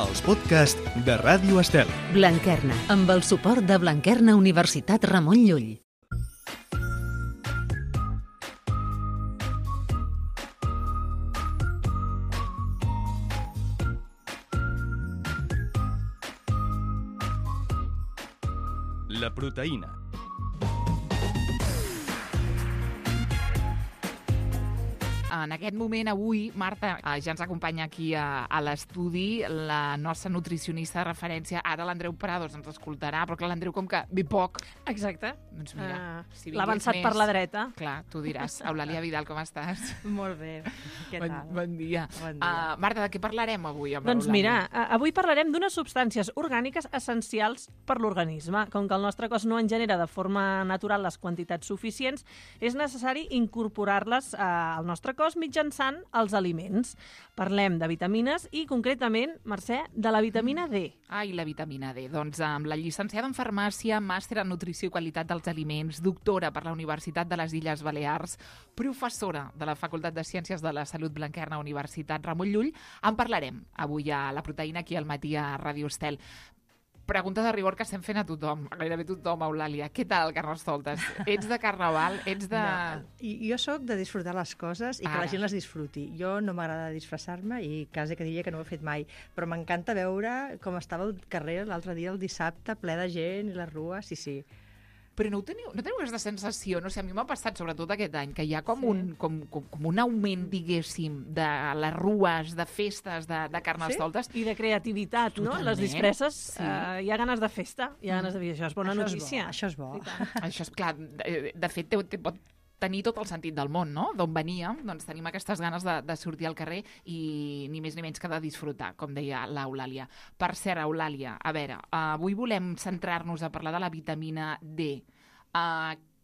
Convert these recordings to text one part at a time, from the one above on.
els podcasts de Ràdio Estel. Blanquerna, amb el suport de Blanquerna Universitat Ramon Llull. La proteïna. En aquest moment, avui, Marta, ja ens acompanya aquí a l'estudi la nostra nutricionista de referència. Ara l'Andreu Prados ens escoltarà, però clar, l'Andreu com que ve poc. Exacte. Doncs mira, si l'ha avançat per la dreta. Clar, tu diràs. Eulàlia Vidal, com estàs? Molt bé. Què tal? Bon dia. Bon dia. Marta, de què parlarem avui amb Doncs Eulàlia? mira, avui parlarem d'unes substàncies orgàniques essencials per l'organisme. Com que el nostre cos no en genera de forma natural les quantitats suficients, és necessari incorporar-les al nostre cos mitjançant els aliments. Parlem de vitamines i, concretament, Mercè, de la vitamina D. Ai, la vitamina D. Doncs amb la llicenciada en farmàcia, màster en nutrició i qualitat dels aliments, doctora per la Universitat de les Illes Balears, professora de la Facultat de Ciències de la Salut Blanquerna Universitat Ramon Llull, en parlarem avui a La Proteïna, aquí al matí a Ràdio Estel. Pregunta de rigor que estem fent a tothom, a gairebé tothom, Eulàlia. Què tal, Carnestoltes? Ets de carnaval? Ets de... No, jo sóc de disfrutar les coses i que la gent les disfruti. Jo no m'agrada disfressar-me i quasi que diria que no ho he fet mai, però m'encanta veure com estava el carrer l'altre dia, el dissabte, ple de gent i la rua, sí. Però no teniu aquesta sensació, no sé, a mi m'ha passat sobretot aquest any, que hi ha com un augment, diguéssim, de les rues, de festes, de Carnestoltes. I de creativitat, no? Les disfresses, hi ha ganes de festa, hi ha ganes de dir, això és bona notícia. Això és bo. Això és clar, de fet, pot tenir tot el sentit del món, no? D'on veníem, doncs tenim aquestes ganes de sortir al carrer i ni més ni menys que de disfrutar, com deia l'Eulàlia. Per cert, Eulàlia, a veure, avui volem centrar-nos a parlar de la vitamina D.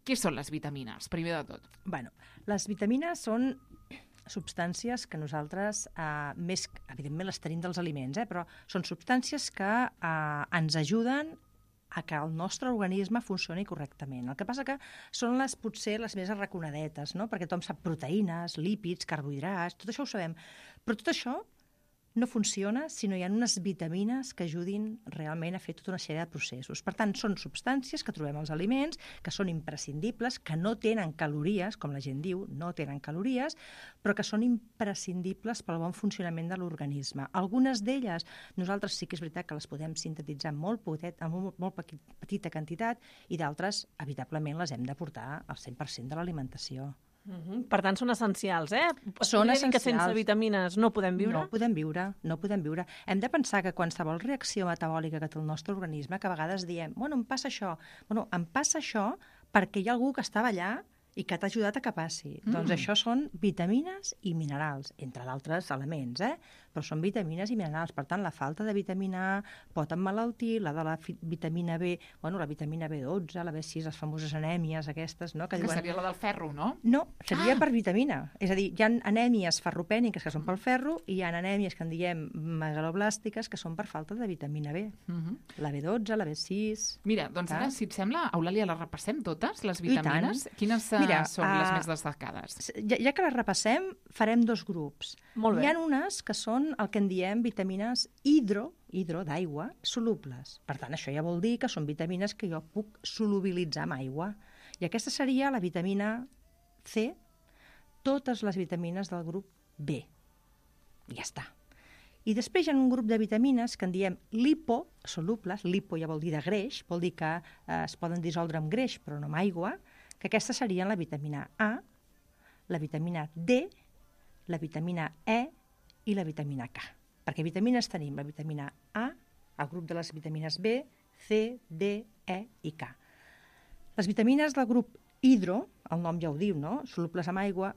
Què són les vitamines, primer de tot? Bueno, les vitamines són substàncies que nosaltres, més, evidentment les tenim dels aliments, però són substàncies que ens ajuden a que el nostre organisme funcioni correctament. El que passa que són potser les més arraconadetes, no? Perquè tothom sap proteïnes, lípids, carbohidrats, tot això ho sabem. Però tot això no funciona si no hi ha unes vitamines que ajudin realment a fer tota una sèrie de processos. Per tant, són substàncies que trobem als aliments, que són imprescindibles, que no tenen calories, com la gent diu, no tenen calories, però que són imprescindibles pel bon funcionament de l'organisme. Algunes d'elles, nosaltres sí que és veritat que les podem sintetitzar molt petita quantitat i d'altres, evitablement, les hem de portar al 100% de l'alimentació. Per tant, són essencials, Són essencials. Que sense vitamines no podem viure? No podem viure. Hem de pensar que qualsevol reacció metabòlica que té el nostre organisme, que a vegades diem, em passa això. Em passa això perquè hi ha algú que estava allà i que t'ha ajudat a que passi. Doncs això són vitamines i minerals, entre d'altres elements, però són vitamines i minerals. Per tant, la falta de vitamina A pot emmalaltir, la de la vitamina B, la vitamina B12, la B6, les famoses anèmies aquestes, no? Que seria la del ferro, no? No, seria per vitamina. És a dir, hi ha anèmies ferropèniques que són pel ferro i hi ha anèmies que en diem megaloblàstiques que són per falta de vitamina B. La B12, la B6... Mira, doncs ara, si et sembla, Eulàlia, les repassem totes, les vitamines? Quines són les més destacades? Ja que les repassem, farem dos grups. Molt bé. Hi ha unes que són el que en diem vitamines hidro d'aigua, solubles. Per tant, això ja vol dir que són vitamines que jo puc solubilitzar amb aigua. I aquesta seria la vitamina C, totes les vitamines del grup B. I ja està. I després hi ha un grup de vitamines que en diem liposolubles, lipo ja vol dir de greix, vol dir que es poden dissoldre amb greix però no amb aigua, que aquestes serien la vitamina A, la vitamina D, la vitamina E i la vitamina K. Perquè vitamines tenim la vitamina A, el grup de les vitamines B, C, D, E i K. Les vitamines del grup hidro, el nom ja ho diu, no? Solubles amb aigua,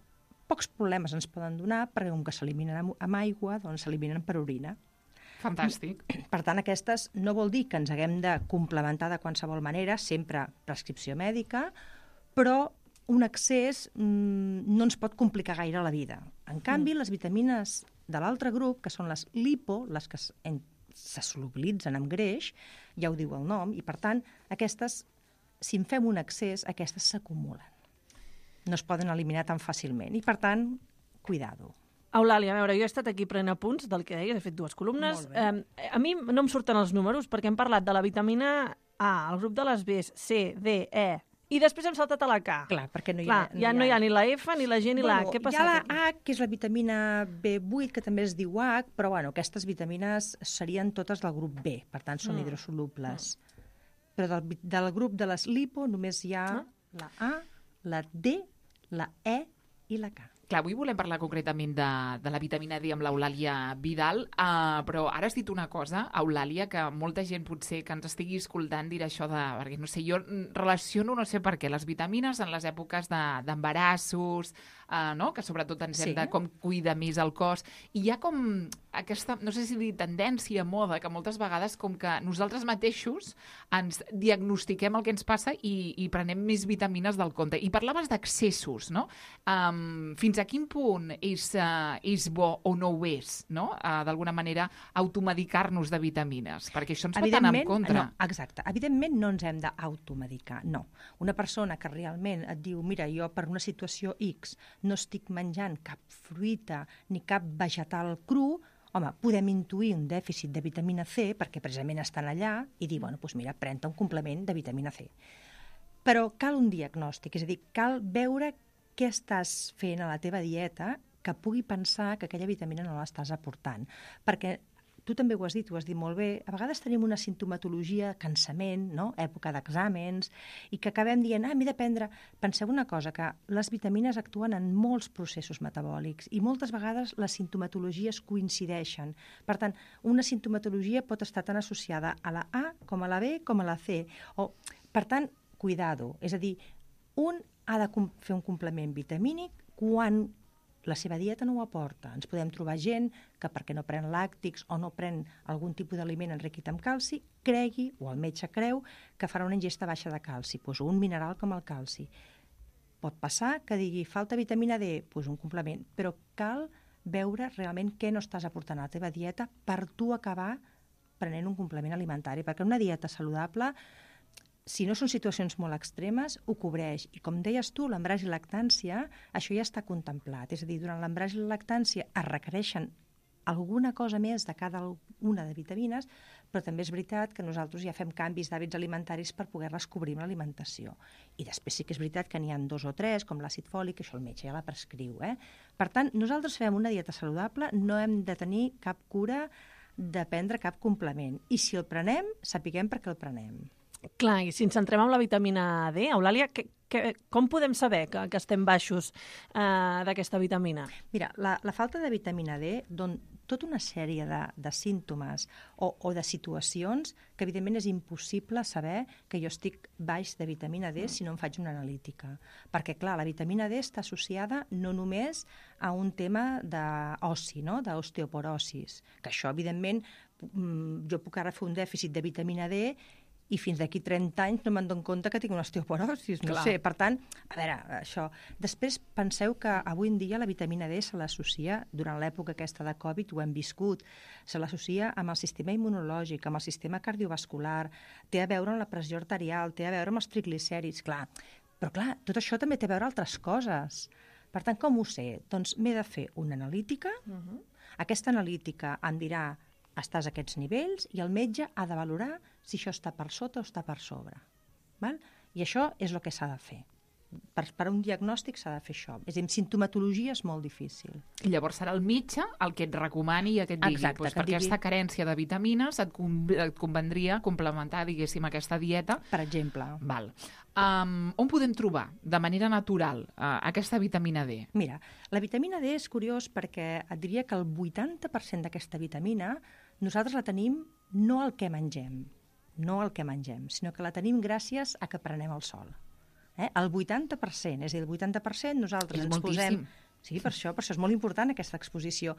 pocs problemes ens poden donar perquè com que s'eliminen amb aigua, doncs s'eliminen per orina. Fantàstic. Per tant, aquestes no vol dir que ens haguem de complementar de qualsevol manera, sempre prescripció mèdica, però un excés no ens pot complicar gaire la vida. En canvi, les vitamines de l'altre grup, que són les lipo, les que se solubilitzen amb greix, ja ho diu el nom, i per tant, aquestes, si en fem un excés, aquestes s'acumulen. No es poden eliminar tan fàcilment i per tant, cuidado. Eulàlia, a veure, jo he estat aquí prenent apunts del que deies, he fet 2 columnes. A mi no em surten els números perquè hem parlat de la vitamina A, el grup de les Bs, C, D, E, i després hem saltat a la K. Clar, perquè no hi Clar, ha... ja no hi ha ni la F, ni la G, ni la A. Què hi passa ha la aquí? H, que és la vitamina B8, que també es diu H, però aquestes vitamines serien totes del grup B, per tant són hidrosolubles. Però del grup de les lipo només hi ha la A, la D, la E i la K. Clar, avui volem parlar concretament de la vitamina D amb l'Eulàlia Vidal, però ara has dit una cosa, Eulàlia, que molta gent potser que ens estigui escoltant dirà això de... Perquè, no sé, jo relaciono, no sé per què, les vitamines en les èpoques d'embarassos, no? Que sobretot ens hem de com cuidar més el cos. I hi ha com aquesta, no sé si dir tendència, moda, que moltes vegades com que nosaltres mateixos ens diagnostiquem el que ens passa i prenem més vitamines del compte. I parlaves d'excessos, no? Fins a quin punt és bo o no ho és, no? D'alguna manera, automedicar-nos de vitamines, perquè això ens pot anar en contra. No, exacte. Evidentment no ens hem d'automedicar, no. Una persona que realment et diu, mira, jo per una situació X no estic menjant cap fruita ni cap vegetal cru, home, podem intuir un dèficit de vitamina C, perquè precisament estan allà, i dir, bueno, doncs mira, pren-te un complement de vitamina C. Però cal un diagnòstic, és a dir, cal veure què estàs fent a la teva dieta que pugui pensar que aquella vitamina no l'estàs aportant. Perquè tu també ho has dit molt bé, a vegades tenim una sintomatologia, cansament, no? Època d'exàmens, i que acabem dient, m'he de prendre... Penseu una cosa, que les vitamines actuen en molts processos metabòlics i moltes vegades les sintomatologies coincideixen. Per tant, una sintomatologia pot estar tan associada a la A com a la B com a la C. Per tant, cuidado, és a dir, un ha de fer un complement vitamínic quan la seva dieta no ho aporta. Ens podem trobar gent que perquè no pren làctics o no pren algun tipus d'aliment enriquit amb calci, cregui, o el metge creu, que farà una ingesta baixa de calci, doncs un mineral com el calci. Pot passar que digui falta vitamina D, doncs un complement, però cal veure realment què no estàs aportant a la teva dieta per tu acabar prenent un complement alimentari, perquè una dieta saludable, si no són situacions molt extremes, ho cobreix. I com deies tu, l'embaràs i lactància, això ja està contemplat. És a dir, durant l'embaràs i la lactància es requereixen alguna cosa més de cada una de vitamines, però també és veritat que nosaltres ja fem canvis d'hàbits alimentaris per poder-les cobrir amb l'alimentació. I després sí que és veritat que n'hi ha 2 o 3, com l'àcid fòlic, això el metge ja la prescriu. Per tant, nosaltres fem una dieta saludable, no hem de tenir cap cura de prendre cap complement. I si el prenem, sapiguem per què el prenem. Clar, i si ens centrem en la vitamina D, Eulàlia, com podem saber que estem baixos d'aquesta vitamina? Mira, la falta de vitamina D dona tota una sèrie de símptomes o de situacions que evidentment és impossible saber que jo estic baix de vitamina D si no em faig una analítica. Perquè, clar, la vitamina D està associada no només a un tema d'oci, no? D'osteoporosis, que això, evidentment, jo puc ara fer un dèficit de vitamina D i fins d'aquí 30 anys no me'n dono compte que tinc una osteoporosis, no sé. Per tant, a veure, això. Després penseu que avui en dia la vitamina D se l'associa, durant l'època aquesta de Covid, ho hem viscut, se l'associa amb el sistema immunològic, amb el sistema cardiovascular, té a veure amb la pressió arterial, té a veure amb els triglicèrids, clar. Però clar, tot això també té a veure altres coses. Per tant, com ho sé? Doncs m'he de fer una analítica, aquesta analítica em dirà estàs a aquests nivells i el metge ha de valorar si això està per sota o està per sobre. Val? I això és el que s'ha de fer. Per un diagnòstic s'ha de fer això. És a dir, amb simptomatologia és molt difícil. I llavors serà el metge el que et recomani i que et digui, exacte, per aquesta carència de vitamines et convendria complementar, diguéssim, aquesta dieta. Per exemple. Val. On podem trobar, de manera natural, aquesta vitamina D? Mira, la vitamina D és curiós perquè et diria que el 80% d'aquesta vitamina nosaltres la tenim no al que mengem, sinó que la tenim gràcies a que prenem el sol. El 80%, és a dir, el 80% nosaltres ens posem... Sí, per això és molt important aquesta exposició.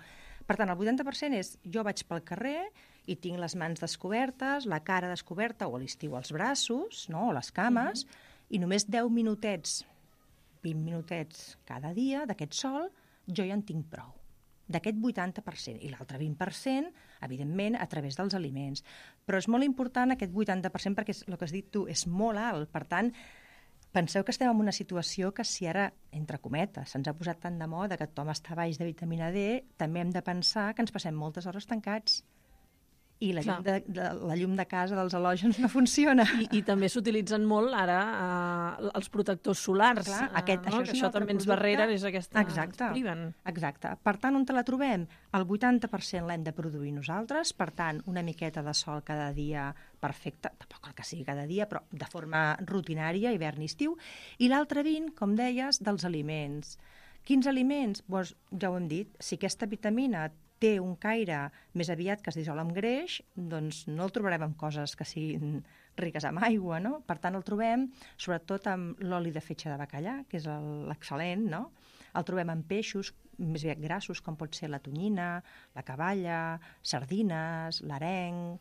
Per tant, el 80% és jo vaig pel carrer i tinc les mans descobertes, la cara descoberta, o a l'estiu els braços, no? O les cames, i només 10 minutets, 20 minutets cada dia d'aquest sol, jo ja en tinc prou. D'aquest 80%. I l'altre 20%, evidentment, a través dels aliments. Però és molt important aquest 80% perquè el que has dit tu és molt alt. Per tant, penseu que estem en una situació que si ara, entre cometes, se'ns ha posat tan de moda que tothom està baix de vitamina D, també hem de pensar que ens passem moltes hores tancats. I la llum de casa dels halògens no funciona. I també s'utilitzen molt ara els protectors solars. Clar, això també ens barrera és aquesta... Exacte. Priven. Exacte. Per tant, on te la trobem? El 80% l'hem de produir nosaltres, per tant, una miqueta de sol cada dia perfecte, tampoc cal que sigui cada dia, però de forma rutinària, hivern i estiu, i l'altre 20, com deies, dels aliments. Quins aliments? Doncs ja ho hem dit, si aquesta vitamina té un caire més aviat que es dissol amb greix, doncs no el trobarem en coses que siguin riques en aigua, no? Per tant, el trobem sobretot amb l'oli de fetge de bacallà, que és l'excel·lent, no? El trobem en peixos més aviat grassos, com pot ser la tonyina, la caballa, sardines, l'areng,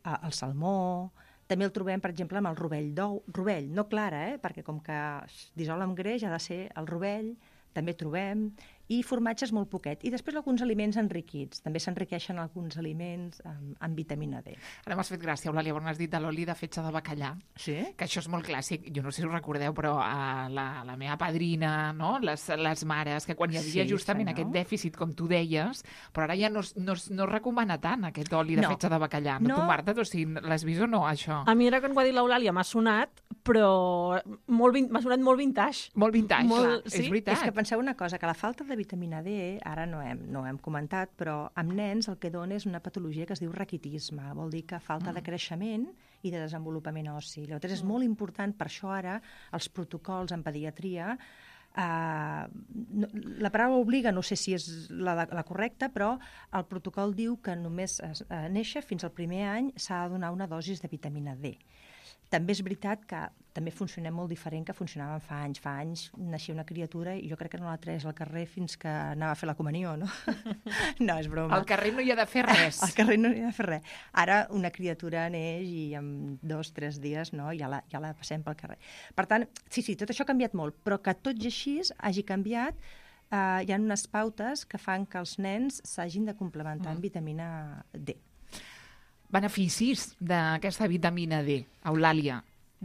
el salmó. També el trobem, per exemple, amb el rovell d'ou. Rovell, no clara, perquè com que es dissol amb greix ha de ser el rovell, també trobem, i formatges molt poquet. I després alguns aliments enriquits. També s'enriqueixen alguns aliments amb vitamina D. Ara m'has fet gràcia, Eulàlia, quan has dit de l'oli de fetge de bacallà, sí? Que això és molt clàssic. Jo no sé si ho recordeu, però la meva padrina, no? les mares, que quan hi havia justament aquest dèficit, com tu deies, però ara ja no es recomana tant aquest oli de fetge de bacallà. No, tu, Marta, l'has vist o no, això? A mi ara, quan ho ha dit l'Eulàlia, m'ha sonat, però m'ha sonat molt vintage. Molt vintage, és veritat. És que penseu una cosa, que la falta de vitamina D, ara no hem comentat, però amb nens el que dona és una patologia que es diu raquitisme. Vol dir que falta de creixement i de desenvolupament ossi. Llavors és molt important, per això ara els protocols en pediatria, la paraula obliga, no sé si és la correcta, però el protocol diu que només a néixer fins al primer any s'ha de donar una dosi de vitamina D. També és veritat que també funcionem molt diferent que funcionàvem fa anys. Fa anys naixia una criatura i jo crec que no la traies al carrer fins que anava a fer la comunió, no? No, és broma. Al carrer no hi ha de fer res. Al carrer no hi ha de fer res. Ara una criatura neix i en 2 o 3 dies ja la passem pel carrer. Per tant, sí, tot això ha canviat molt, però que tot i així hagi canviat, hi ha unes pautes que fan que els nens s'hagin de complementar amb vitamina D. Beneficis d'aquesta vitamina D, Eulàlia?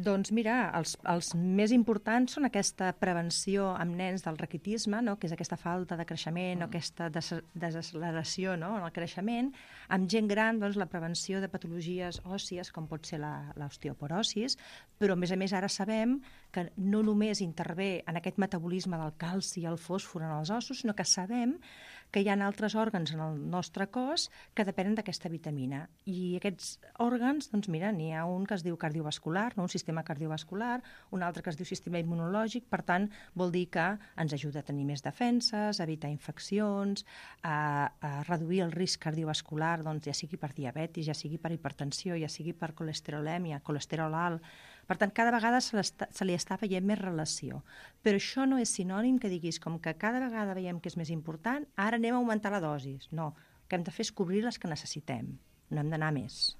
Doncs mira, els més importants són aquesta prevenció amb nens del raquitisme, no? Que és aquesta falta de creixement o aquesta desacceleració, no? En el creixement. Amb gent gran, doncs, la prevenció de patologies òssies, com pot ser l'osteoporosis, però a més ara sabem que no només intervé en aquest metabolisme del calci i el fòsfor en els ossos, sinó que sabem que hi ha altres òrgans en el nostre cos que depenen d'aquesta vitamina. I aquests òrgans, doncs mira, n'hi ha un que es diu cardiovascular, no? Un sistema cardiovascular, un altre que es diu sistema immunològic, per tant, vol dir que ens ajuda a tenir més defenses, a evitar infeccions, a reduir el risc cardiovascular, doncs ja sigui per diabetis, ja sigui per hipertensió, ja sigui per colesterolèmia, colesterol alt. Per tant, cada vegada se li està veient més relació. Però això no és sinònim que diguis com que cada vegada veiem que és més important, ara anem a augmentar la dosi. No, el que hem de fer és cobrir les que necessitem. No hem d'anar més.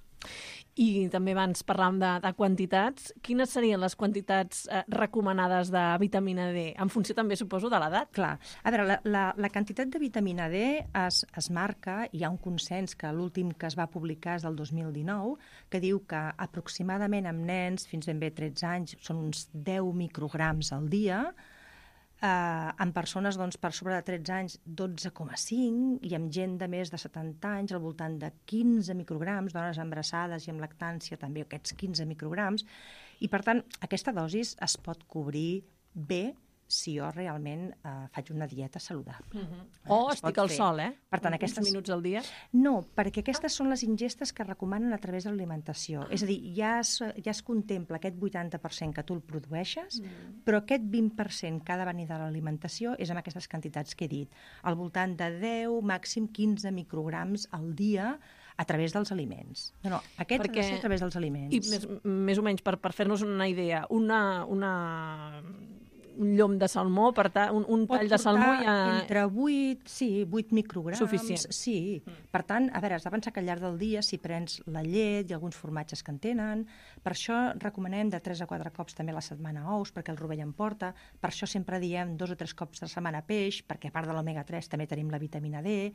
I també abans parlàvem de quantitats. Quines serien les quantitats recomanades de vitamina D? En funció també, suposo, de l'edat. Clar. A veure, la quantitat de vitamina D es marca, hi ha un consens que l'últim que es va publicar és del 2019, que diu que aproximadament amb nens fins ben bé 13 anys són uns 10 micrograms al dia, amb persones doncs, per sobre de 13 anys 12,5 i amb gent de més de 70 anys al voltant de 15 micrograms, dones embarassades i amb lactància també aquests 15 micrograms, i per tant aquesta dosi es pot cobrir bé si jo realment faig una dieta saludable. O estic al sol, Per tant, aquests minuts al dia? No, perquè aquestes són les ingestes que recomanen a través de l'alimentació. És a dir, ja es contempla aquest 80% que tu el produeixes, però aquest 20% que ha de venir de l'alimentació és amb aquestes quantitats que he dit. Al voltant de 10, màxim 15 micrograms al dia a través dels aliments. No, aquest ha de ser a través dels aliments. I més o menys, per fer-nos una idea, un llom de salmó, un tall de salmó ja... Entre 8 micrograms. Suficient. Sí. Per tant, a veure, has de pensar que al llarg del dia, si prens la llet i alguns formatges que en tenen, per això recomanem de 3 a 4 cops també a la setmana ous, perquè el rovell en porta, per això sempre diem 2 o 3 cops a la setmana peix, perquè a part de l'omega 3 també tenim la vitamina D.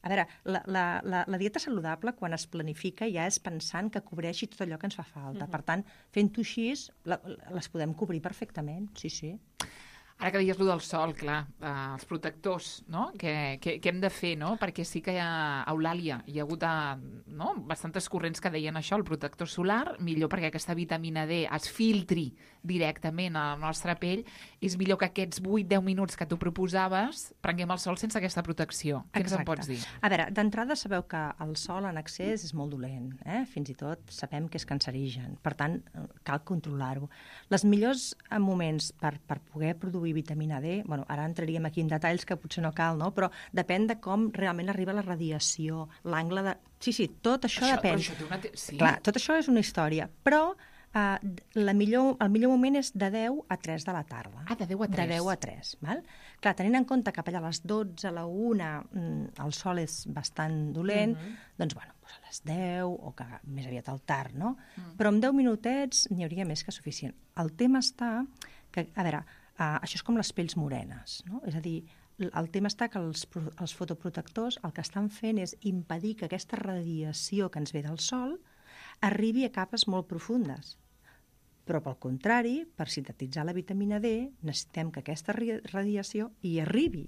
A veure, la dieta saludable, quan es planifica, ja és pensant que cobreixi tot allò que ens fa falta. Per tant, fent-ho així, les podem cobrir perfectament, sí. Ara que deies allò del sol, clar, els protectors, no? Què hem de fer, no? Perquè sí que a Eulàlia hi ha hagut bastantes corrents que deien això, el protector solar, millor perquè aquesta vitamina D es filtri directament a la nostra pell, és millor que aquests 8-10 minuts que tu proposaves prenguem el sol sense aquesta protecció. Què ens en pots dir? A veure, d'entrada sabeu que el sol en excés és molt dolent, fins i tot sabem que és cancerigen, per tant, cal controlar-ho. Els millors moments per poder produir vitamina D, bueno, ara entraríem aquí en detalls que potser no cal, no? Però depèn de com realment arriba la radiació, l'angle de... Sí, tot això depèn. Però això té una... Sí. Clar, tot això és una història, però el millor moment és de 10 a 3 de la tarda. De 10 a 3. De 10 a 3, val? Clar, tenint en compte que allà a les 12, a la 1, el sol és bastant dolent, doncs, bueno, a les 10 o que més aviat al tard, no? Però amb 10 minutets n'hi hauria més que suficient. El tema està que, a veure, això és com les pells morenes, no? És a dir, el tema està que els fotoprotectors el que estan fent és impedir que aquesta radiació que ens ve del sol arribi a capes molt profundes. Però, pel contrari, per sintetitzar la vitamina D, necessitem que aquesta radiació hi arribi,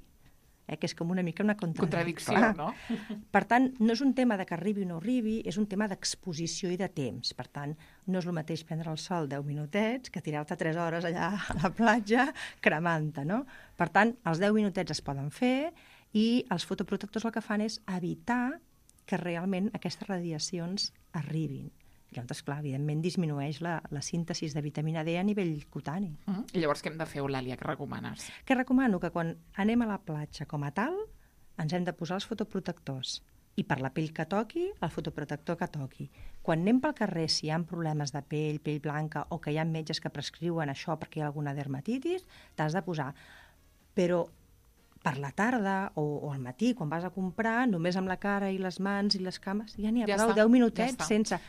que és com una mica una contradicció, no? Per tant, no és un tema de que arribi o no arribi, és un tema d'exposició i de temps. Per tant, no és el mateix prendre el sol 10 minutets que tirar-te 3 hores allà a la platja cremant-te, no? Per tant, els 10 minutets es poden fer i els fotoprotectors el que fan és evitar que realment aquestes radiacions arribin. Llavors, clar, evidentment disminueix la síntesi de vitamina D a nivell cutani. I llavors què hem de fer, Eulàlia? Què recomanes? Que recomano que quan anem a la platja com a tal, ens hem de posar els fotoprotectors. I per la pell que toqui, el fotoprotector que toqui. Quan anem pel carrer, si hi ha problemes de pell blanca, o que hi ha metges que prescriuen això perquè hi ha alguna dermatitis, t'has de posar. Però per la tarda o al matí, quan vas a comprar, només amb la cara i les mans i les cames, ja n'hi ha prou, 10 minutets sense...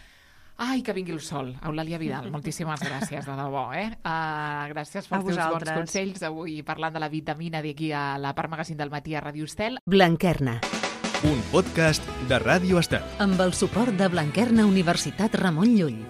Ai, que vingui el sol. Eulàlia Vidal, moltíssimes gràcies, de debò. Gràcies pels teus bons consells. Avui parlant de la vitamina D aquí a la Part Magazine del matí a Ràdio Estel. Blanquerna. Un podcast de Ràdio Estel. Amb el suport de Blanquerna Universitat Ramon Llull.